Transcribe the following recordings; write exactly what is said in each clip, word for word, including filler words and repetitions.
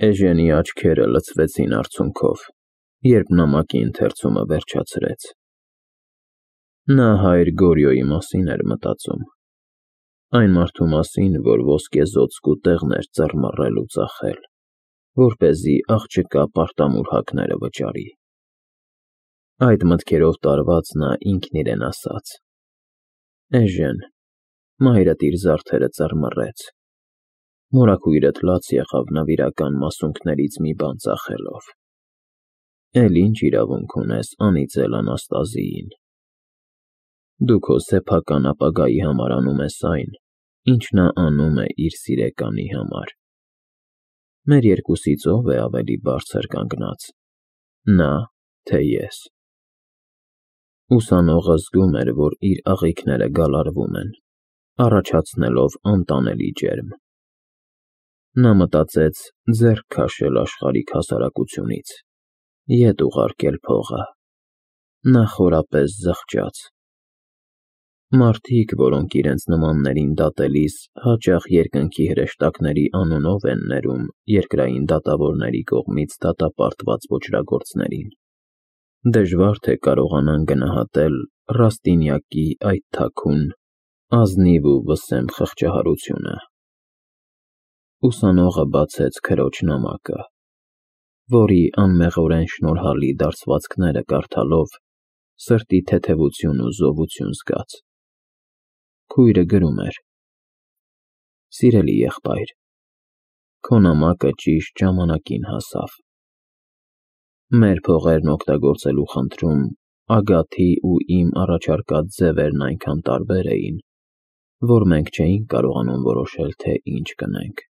Էժենի աչքերը լցվեցին արցունքով, երբ նամակի ընթերցումը վերջացրեց։ Նա հայր Գորյոյի մասին էր մտածում, այն մարդու մասին, որ ոսկեզօծ կուտեղներ ծռմռել ու ծախել, որպեսզի աղջկա պարտամուրհակները վճարի։ Այդ մտքերով տարված նա ինքն իրեն ասաց. «Էժեն, մայրդ իր զարդերը ծռմռեց, մորաքույրդ լաց եղավ նվիրական մասունքներից մի բան ծախելով, էլ ինչ իրավունք ունես անիծել Անաստազիին։ Դու քո սեփական ապագայի համար անում ես այն, ինչ նա անում է իր սիրեկանի համար։ Մեր երկուսից ո՞վ է ավելի բարձր կանգնած՝ նա, թե ես»։ Ուսանողը զգում էր, որ իր աղիքները գալարվում են, առաջացնելով անտանելի ջերմ։ Նա մտածեց ձեռք քաշել աշխարհիկ հասարակությունից, ետ ուղարկել փողը։ Նա խորապես զղջաց։ Մարդիկ, որոնք իրենց նմաններին դատելիս հաճախ երկնքի հրեշտակների անունով են ներում երկրային դատավորների կողմից դատապարտված ոճրագործներին, դժվար թե կարողանան գնահատել Ռաստինյակի այդ թաքուն, ազնիվ ու վսեմ խղճահարությունը։ Ուսանողը բացեց քրոջ նամակը, որի անմեղորեն շնորհալի դարձվածքները կարդալով սրտի թեթևություն ու զովություն զգաց։ Քույրը գրում էր. «Սիրելի եղբայր, քո նամակը ճիշտ ժամանակին հասավ։ Մեր փողերն օգտագործելու խնդրում Ագաթի ու իմ առաջարկած ձևերն այնքան տարբեր էին, որ մենք չէինք կարողանում որոշել, թե ինչ կնենք։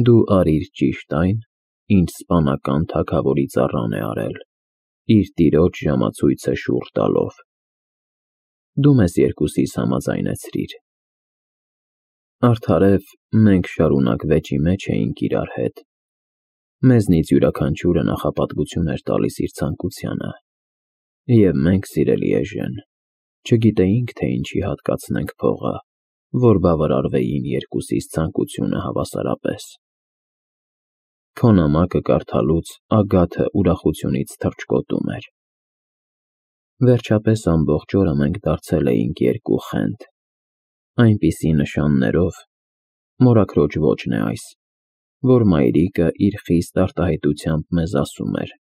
Դու արիր ճիշտ այն, ինչ սպանական թագավորի ծառան է արել, իր տիրոջ ժամացույցը շուռ տալով։ Դու մեզ երկուսիս համաձայնեցրիր։ Արդարև մենք շարունակ վեճի մեջ էինք իրար հետ։ Մեզնից յուրաքանչյուրը նախապատվություն էր տալիս իր ցանկությանը, և մենք, սիրելի էժեն, չգիտեինք, թե ինչի հատկացնենք փողը, որ բավարարվեին երկուսիս ցանկությունը հավասարապես։ Քո նամակը կարդալուց Ագաթը ուրախությունից թռչկոտում էր։ Վերջապես ամբողջ օրը մենք դարձել էինք երկու խենթ, այնպիսի նշաններով, մորաքրոջ ոճն է այս, որ մայրիկը իր խիստ արտահայտությամբ մեզ ասում էր.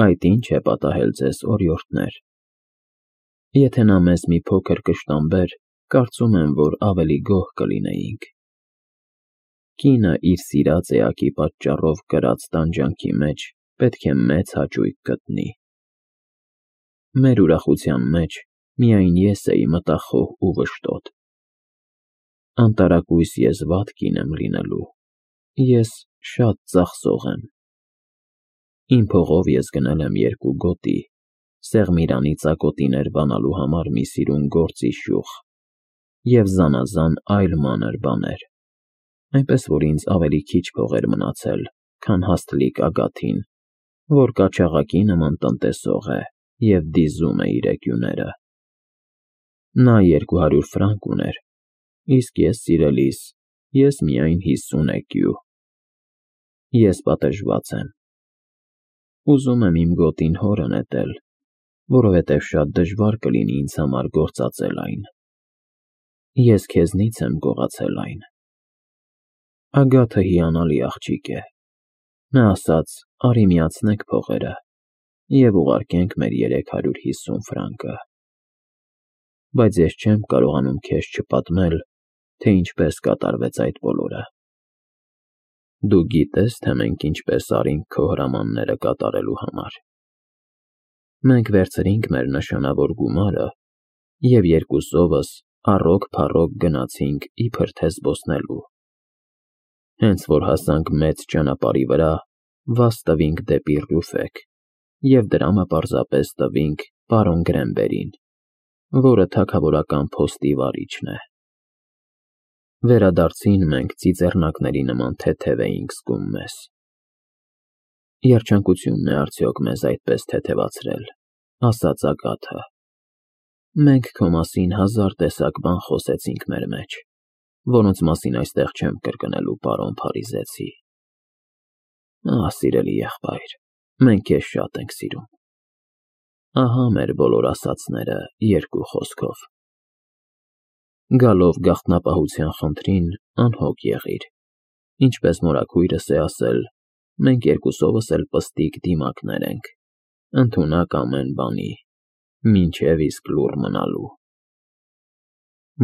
«Այդ ի՞նչ է պատահել ձեզ, օրիորդներ։ Եթե նա մեզ մի փոքր կշտամբեր, կարծում եմ, որ ավելի գոհ կլինեինք։ Կինը իր սիրած էակի պատճառով կրած տանջանքի մեջ պետք է մեծ հաճույք գտնի։ Մեր ուրախության մեջ միայն ես էի մտախոհ ու վշտոտ։ Անտարակույս ես վատ կին եմ լինելու, ես շատ ծախսող եմ։ Իմ փողով ես գնել եմ երկու գոտի, Սեղմիրանի ծակոտիներ բանալու համար մի սիրուն գործի շյուղ և զանազան այլ մանր բաներ, այնպես որ ինձ ավելի քիչ փող էր մնացել, քան հաստլիկ Ագաթին, որ կաչաղակի նման տնտեսող է և դիզում է իր էկյուները։ Նա երկու հարյուր ֆրանկ ուներ, իսկ ես, սիրելիս, ես միայն հիսուն էկյու։ Ես պատժված եմ։ Ուզում եմ իմ գոտին հորը նետել, որովհետև շատ դժվար կլինի ինձ համար գործածել այն։ Ես քեզնից եմ գողացել այն»։ Ագաթը հիանալի աղջիկ է։ Նա ասաց՝ արի միացնենք փողերը և ուղարկենք մեր երեք հարյուր հիսուն ֆրանկը։ Բայց ես չեմ կարողանում քեզ չպատմել, թե ինչպես կատարվեց այդ բոլորը։ Դու գիտե՞ս, թե մենք ինչպես արինք քո հրամանները կատարելու համար։ Մենք վերցրինք մեր նշանավոր գումարը և երկուսովս առօգ-փառոգ գնացինք իբր թե զբոսնելու։ Հենց որ հասանք մեծ ճանապարհի վրա, վազ տվինք դեպի Ռյուֆեկ և դրամը պարզապես տվինք պարոն Գրենբերին, որը թագավորական փոստի վարիչն է։ Վերադարձին մենք ծիծեռնակների նման թեթև էինք զգում մեզ։ Երջանկությունն է արդյոք մեզ այդպես թեթևացրել, ասաց Ագաթը։ Մենք քո մասին հազար տեսակ բան խոսեցինք մեր մեջ, որոնց մասին այստեղ չեմ կրկնելու, պարոն Փարիզեցի։ Ահ, սիրելի եղբայր, մենք քեզ շատ ենք սիրում։ Ահա մեր բոլոր ասածները երկու խոսքով։ Գալով գաղտնապահության խնդրին, անհոգ եղիր։ Ինչպես մորաքույրս է ասել, մենք երկուսովս էլ պստիկ դիմակներ ենք, ընդունակ ամեն բանի, մինչև իսկ լուռ մնալու։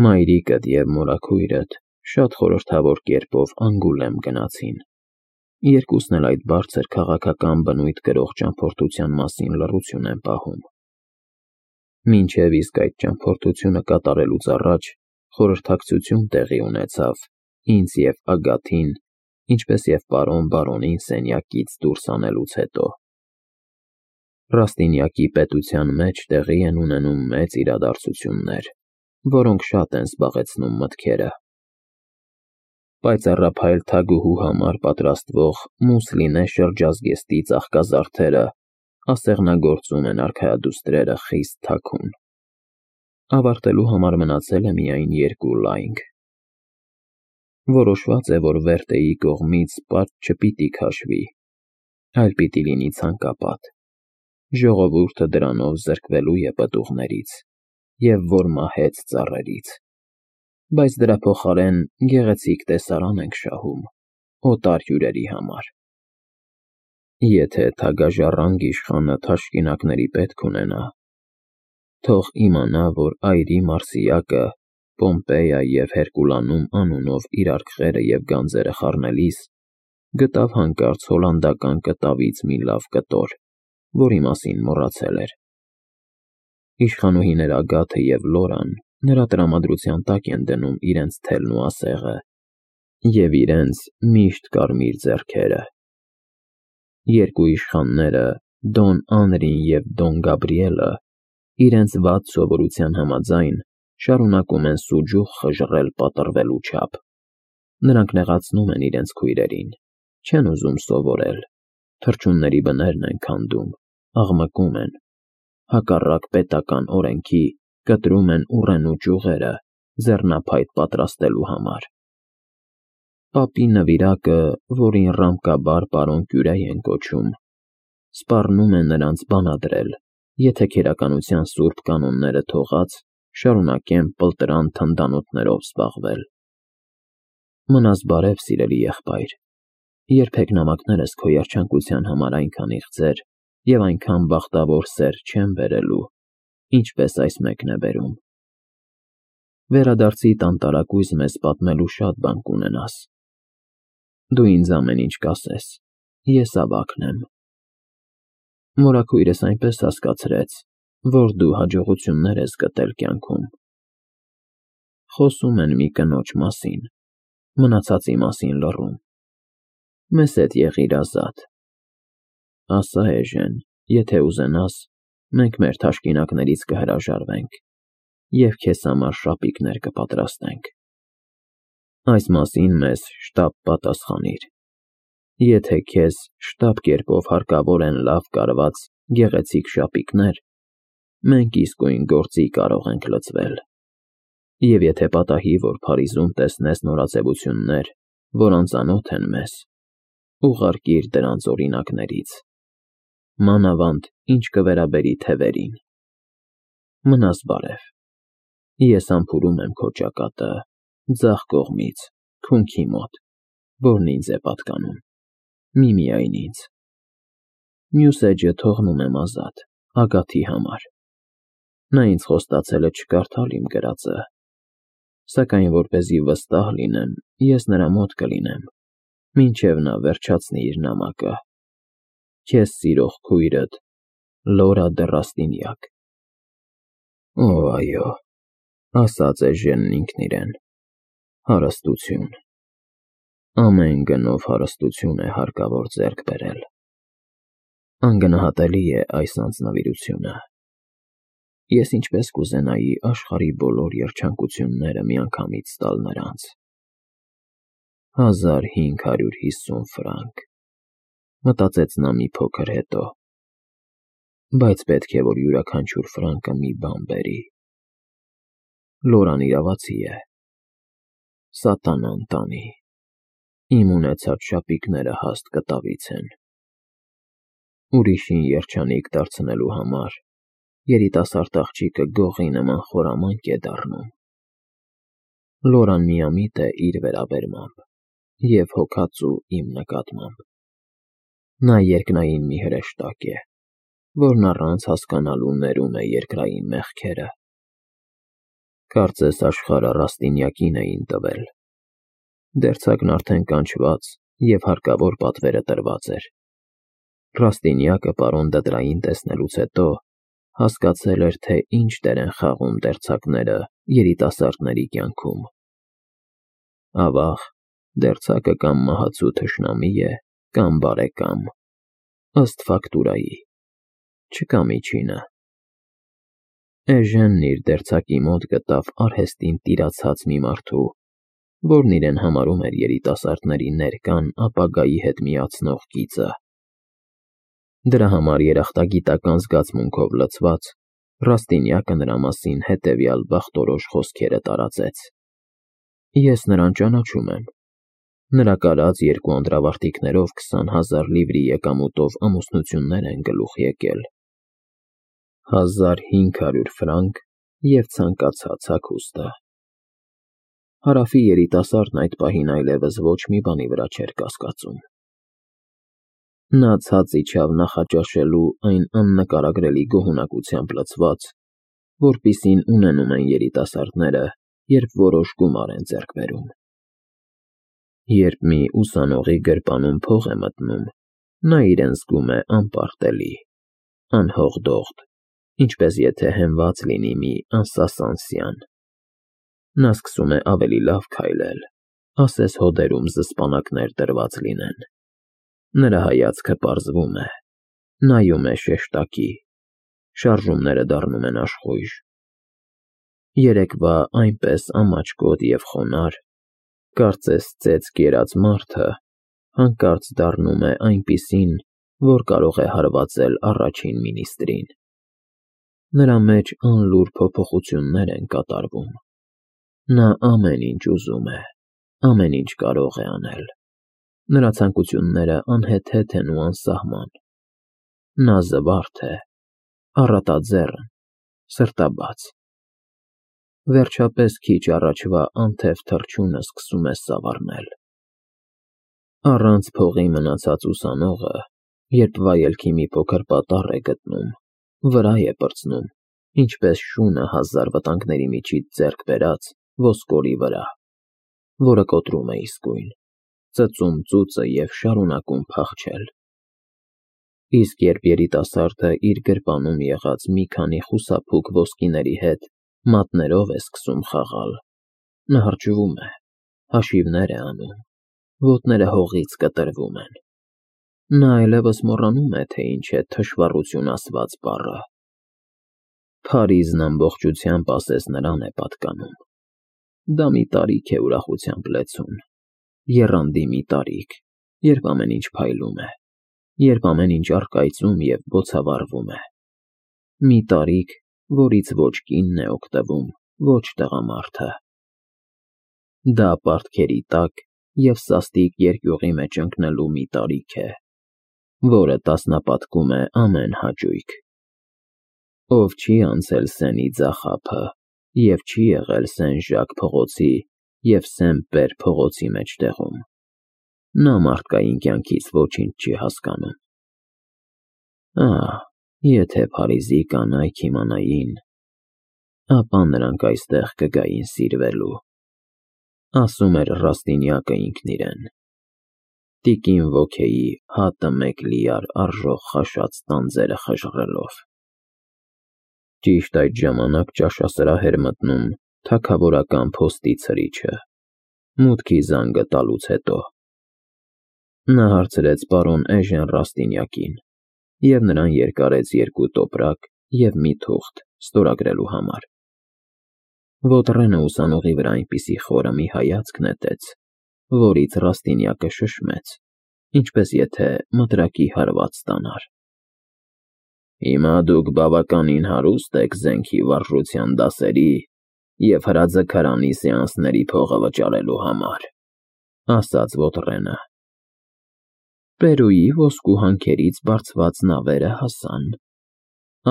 Մայրիկդ և մորաքույրդ շատ խորհրդավոր կերպով Անգուլեմ գնացին։ Երկուսն էլ այդ բարձր քաղաքական բնույթ կրող ճամփորդության մասին լռություն են պահում։ Մինչև իսկ այդ ճամփորդությունը կատարելուց առաջ խորհրդակցություն տեղի ունեցավ ինձ և Ագաթին, ինչպես և պարոն բարոնին սենյակից դուրս անելուց հետո։ Ռաստինյակի պետության մեջ տեղի են ունենում մեծ իրադարձություններ, որոնք շատ են զբաղեցնում մտքերը։ Պայծառափայլ թագուհու համար պատրաստվող Մուսլինե շրջազգեստի ծաղկազարդերը ասեղնագործում են արքայադուստրերը խիստ թաքուն։ Ավարտելու համար մնացել է միայն երկու լայնք։ Որոշված է, որ Վերտեի կողմից պարտ չպիտի քաշվի, այլ պիտի լինի ցանկապատ։ Ժողովուրդը դրանով զրկվելու է պտուղներից և որ մահեց ծառերից, բայց դրա փոխարեն գեղեցիկ տեսարան ենք շահում օտար հյուրերի համար։ Եթե թագաժառանգ իշխանը թաշկինակների պետք ունենա, թող իմանա, որ այրի մարսիակը Պոմպեյա և Հերկուլանում անունով իր արկղերը և գանձերը խառնելիս գտավ հանկարծ հոլանդական կտավից մի լավ կտոր, որի մասին մոռացել էր։ Իշխանուհիներ Ագաթը և Լորան նրա տրամադրության տակ են դնում իրենց թելն ու ասեղը և իրենց միշտ կարմիր ձեռքերը։ Երկու իշխանները՝ Դոն Անրին և Դոն Գաբրիելը, իրենց վատ սովորության համաձայն, շարունակում են սուջուխ խժռել պատռվելու չափ։ Նրանք նեղացնում են իրենց քույրերին, չեն ուզում սովորել, թռչունների բներն են քանդում, աղմկում են, հակառակ պետական օրենքի կտրում են ուռենու ճյուղերը ձեռնափայտ պատրաստելու համար։ Պապի նվիրակը, որին Ռամկաբար պարոն Կյուրե են կոչում, սպառնում է նրանց բանադրել, եթե քերականության սուրբ կանոնները թողած, շարունակեն պլտրան թնդանոթներով զբաղվել։ Մնաս բարև, սիրելի եղբայր, երբեք նամակներս քո երջանկության համար այնքան իղձեր և այնքան բախտավոր սեր չեն բերելու, ինչպես այս մեկն է բերում։ Վերադարձիդ անտարակույս մեզ պատմելու շատ բան կունենաս։ Դու ինձ ամեն ինչ կասես, ես ավագն եմ։ Մորաքույրս այնպես հասկացրեց, որ դու հաջողություններ ես գտել կյանքում։ Խոսում են մի կնոջ մասին, մնացածի մասին լռում։ Մեզ հետ եղիր ազատ։ Ասա, էժեն, եթե ուզենաս, մենք մեր թաշկինակներից կհրաժարվենք և քեզ համար շապիկներ կպատրաստենք։ Այս մասին մեզ շտապ պատասխանիր։ Եթե քեզ շտապ կերպով հարկավոր են լավ կարված, գեղեցիկ շապիկներ, մենք իսկույն գործի կարող ենք լծվել։ Եվ եթե պատահի, որ Փարիզում տեսնես նորաձևություններ, որ անծանոթ են մեզ, ուղարկիր դրանց օրինակներից, մանավանդ ինչ կվերաբերի թևերին։ Մնաս բարև։ Ես համբուրում եմ քո ճակատը ձախ կողմից, քունքի մոտ, որն ինձ է պատկանում, միմիայն ինձ։ Մյուս էջը թողնում եմ ազատ, Ագաթի համար։ Նա ինձ խոստացել է չկարդալ իմ գրածը, սակայն որպեսզի վստահ լինեմ, ես նրա մոտ կլինեմ, մինչև նա վերջացնի իր նամակը։ Քեզ սիրող քույրդ Լորա դը Ռաստինյակ։ Օ, այո, ասաց էժենն ինքն իրեն, հարստություն, ամեն գնով հարստություն է հարկավոր ձեռք բերել։ Անգնահատելի է այս անձնվիրությունը։ Ես ինչպես կուզենայի աշխարհի բոլոր երջանկությունները միանգամից տալ նրանց։ Հազար հինգ հարյուր հիսուն ֆրանկ, մտածեց նա մի փոքր հետո, բայց պետք է, որ յուրաքանչյուր ֆրանկը մի բան բերի։ Լորան իրավացի է, սատանան տանի։ Իմ ունեցած շապիկները հաստ կտավից են։ Ուրիշին երջանիկ դարձնելու համար երիտասարդ աղջիկը գողի նման խորամանկ է դառնում։ Լորան միամիտ է իր վերաբերմամբ և հոգածու իմ նկատմամբ։ Նա երկնային մի հրեշտակ է, որն առանց հասկանալու ներում է երկրային մեղքերը։ Կարծես աշխարհը Ռաստինյակին էին տվել։ Դերձակն արդեն կանչված և հարկավոր պատվերը տրված էր։ Ռաստինյակը պարոն Դդրային տեսնելուց հետո հասկացել էր, թե ինչ դեր են խաղում դերձակները երիտասարդների կյանքում։ Ավաղ, դերձակը կամ մահացու թշնամի է, կամ բարեկամ, ըստ ֆակտուրայի, չկա միջինը։ Էժենն իր դերձակի մոտ գտավ արհեստին տիրացած մի մարդու, որն իրեն համարում էր երիտասարդների ներկան ապագայի հետ միացնող գիծը։ Դրա համար երախտագիտական զգացմունքով լցված, Ռաստինյակը նրա մասին հետևյալ բախտորոշ խոսքերը տարածեց. Ես նրան ճանաչում եմ։ Նրա կարած երկու անդրավարտիքներով քսան հազար լիվրի եկամուտով ամուսնություններ են գլուխ եկել։ Հազար հինգ հարյուր ֆրանկ և ցանկացած հագուստը։ Հարավի երիտասարդն այդ պահին այլևս ոչ մի բանի վրա չէր կասկածում։ Նա ցած իջավ նախաճաշելու այն աննկարագրելի գոհունակությամբ լցված, որպիսին ունենում են երիտասարդները, երբ որոշ գումար են ձեռք բերում։ Երբ մի ուսանողի գրպանում փող է մտնում, նա իրեն զգում է անպարտելի, անհողդողդ, ինչպես եթե հենված լինի մի անսասան սյան։ Նա սկսում է ավելի լավ քայլել, ասես հոդերում զսպանակներ դրված լինեն։ Նրա հայացքը պարզվում է, նայում է շեշտակի, շարժումները դառնում են աշխույժ։ Երեկվա այնպես ամաչկոտ և խոնարհ, կարծես ծեծ կերած մարդը հանկարծ դառնում է այնպիսին, որ կարող է հարվածել առաջին մինիստրին։ Նրա մեջ անլուր փոփոխություններ են կատարվում։ Նա ամեն ինչ ուզում է, ամեն ինչ կարող է անել։ Նրա ցանկությունները անհեթեթ են ու անսահման։ Նա զվարթ է, առատաձեռն, սրտաբաց։ Վերջապես քիչ առաջվա անթև թռչունը սկսում է սավառնել։ Առանց փողի մնացած ուսանողը, երբ վայելքի մի փոքր պատառ է գտնում, վրա է պրծնում, ինչպես շունը հազար վտանգների միջից ձեռք բերած ոսկորի վրա, որը կոտրում է իսկույն, ծծում ծուծը և շարունակում փախչել։ Իսկ երբ երիտասարդը իր գրպանում եղած մի քանի խուսափուկ ոսկիների հետ մատներով է սկսում խաղալ, նա հրճվում է, հաշիվներ է անում, ոտները հողից կտրվում են։ Նա այլևս մոռանում է, թե ինչ է թշվառություն ասված բառը։ Փարիզն ամբողջությամբ ասես նրան է պատկանում։ Դա մի տարիք է ուրախությամբ լեցուն, եռանդի մի տարիք, երբ ամեն ինչ փայլում է, երբ ամեն ինչ առկայծում և բոցավառվում է։ Մի տարիք, որից ոչ կինն է օգտվում, ոչ տղամարդը։ Դա պարտքերի տակ և սաստիկ երկյուղի մեջ ընկնելու մի տարիք է, որը տասնապատկում է ամեն հաճույք։ Ով չի անցել Սենի ձախափը և չի եղել Սեն֊Ժակ փողոցի և Սեն֊Պեր փողոցի մեջտեղում, նա մարդկային կյանքից ոչինչ չի հասկանում։ Ահ, եթե Փարիզի կանայք իմանային, ապա նրանք այստեղ կգային սիրվելու, ասում էր Ռաստինյակը ինքն իրեն, տիկին Ոքեի հատը մեկ լիար արժող խաշած տանձերը խժռելով։ Ճիշտ այդ ժամանակ ճաշասրահ էր մտնում թագավորական փոստի ցրիչը, մուտքի զանգը տալուց հետո։ Նա հարցրեց պարոն Էժեն Ռաստինյակին և նրան երկարեց երկու տոպրակ և մի թուղթ ստորագրելու համար։ Ոտրենը ուսանողի վրա այնպիսի խորը մի հայացք նետեց, որից Ռաստինյակը շշմեց, ինչպես եթե մտրակի հարված ստանար։ Հիմա դուք բավականին հարուստ եք զենքի վարժության դասերի և հրաձգարանի սեանսների փողը վճարելու համար, ասաց Ոտրենը։ Պերուի ոսկու հանքերից բարձված նավերը հասան,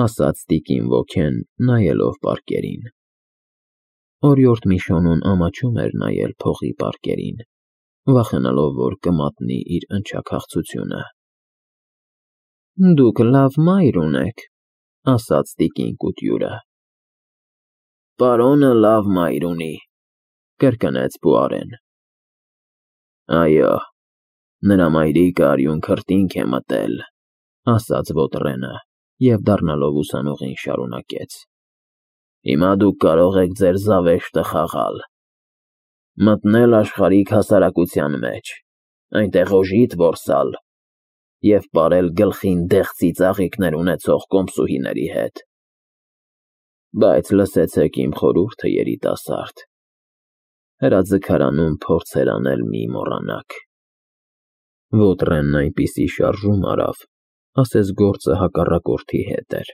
ասաց տիկին ոգեն, նայելով պարկերին։ Օրիորդ Միշոնուն ամաչում էր նայել փողի պարկերին, վախենալով, որ կմատնի իր ընչաքաղցությունը։ Դուք լավ մայր ունեք, ասաց տիկին Կուտյուրը։ Պարոնը լավ մայր ունի, կրկնեց Պուարեն։ Այո, նրա մայրիկը արյուն քրտինք է մտել, ասաց Ոտրենը և դառնալով ուսանողին շարունակեց. Հիմա դուք կարող եք ձեր զավեշտը խաղալ, մտնել աշխարհիկ հասարակության մեջ, այնտեղ օժիտ որսալ և պարել գլխին դեղցի ծաղիկներ ունեցող կոմսուհիների հետ։ Բայց լսեցեք իմ խորհուրդը, երիտասարդ, հրաձգարանում փորձեր անել մի մոռանաք։ Ոտրենն այնպիսի շարժում արավ, ասես գործը հակառակորդի հետ էր։